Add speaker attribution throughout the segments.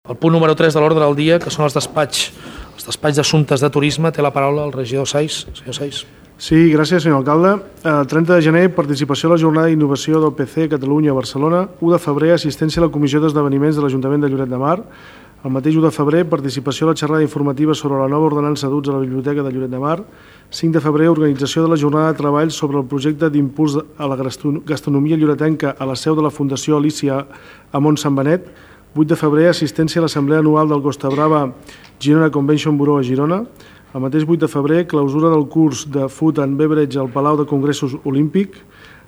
Speaker 1: El punt número 3 de l'ordre del dia, que són els despatx d'assumptes de turisme, té la paraula el regidor Sais. Senyor Sais.
Speaker 2: Sí, gràcies, senyor alcalde. El 30 de gener, participació a la jornada d'innovació del PC Catalunya a Barcelona. 1 de febrer, assistència a la Comissió d'Esdeveniments de l'Ajuntament de Lloret de Mar. El mateix 1 de febrer, participació a la xerrada informativa sobre la nova ordenança d'uts a la Biblioteca de Lloret de Mar. 5 de febrer, organització de la jornada de treball sobre el projecte d'impuls a la gastronomia lloretenca a la seu de la Fundació Alícia a Mont Sant Benet. 8 de febrer, assistència a l'Assemblea Anual del Costa Brava Girona Convention Bureau a Girona. El mateix 8 de febrer, clausura del curs de Food and Beverage al Palau de Congressos Olímpic.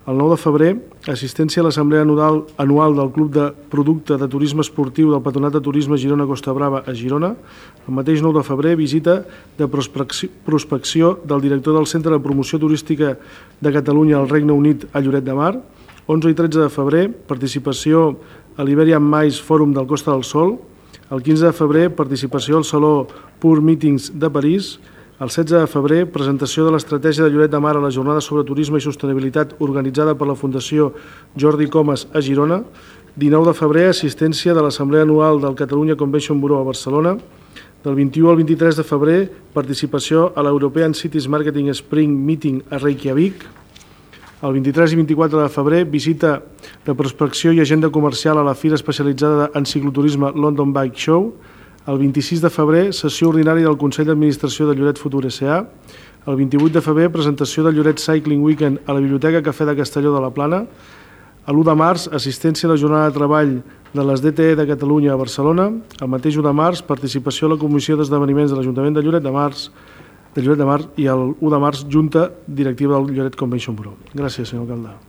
Speaker 2: El 9 de febrer, assistència a l'Assemblea Anual del Club de Producte de Turisme Esportiu del Patronat de Turisme Girona Costa Brava a Girona. El mateix 9 de febrer, visita de prospecció del director del Centre de Promoció Turística de Catalunya al Regne Unit a Lloret de Mar. 11 i 13 de febrer, participació a l'Iberian Mais Fòrum del Costa del Sol. El 15 de febrer, participació al Saló Pur Meetings de París. El 16 de febrer, presentació de l'estratègia de Lloret de Mar a la jornada sobre turisme i sostenibilitat organitzada per la Fundació Jordi Comas a Girona. 19 de febrer, assistència de l'Assemblea Anual del Catalunya Convention Bureau a Barcelona. Del 21 al 23 de febrer, participació a l'European Cities Marketing Spring Meeting a Reykjavik. El 23 i 24 de febrer, visita de prospecció i agenda comercial a la Fira Especialitzada en Cicloturisme London Bike Show. El 26 de febrer, sessió ordinària del Consell d'Administració de Lloret Futur S.A. El 28 de febrer, presentació del Lloret Cycling Weekend a la Biblioteca Cafè de Castelló de la Plana. L'1 de març, assistència a la jornada de treball de les DTE de Catalunya a Barcelona. El mateix 1 de març, participació a la Comissió d'Esdeveniments de l'Ajuntament de Lloret de Mar i el 1 de març, Junta Directiva del Lloret Convention Bureau. Gràcies, senyor alcalde.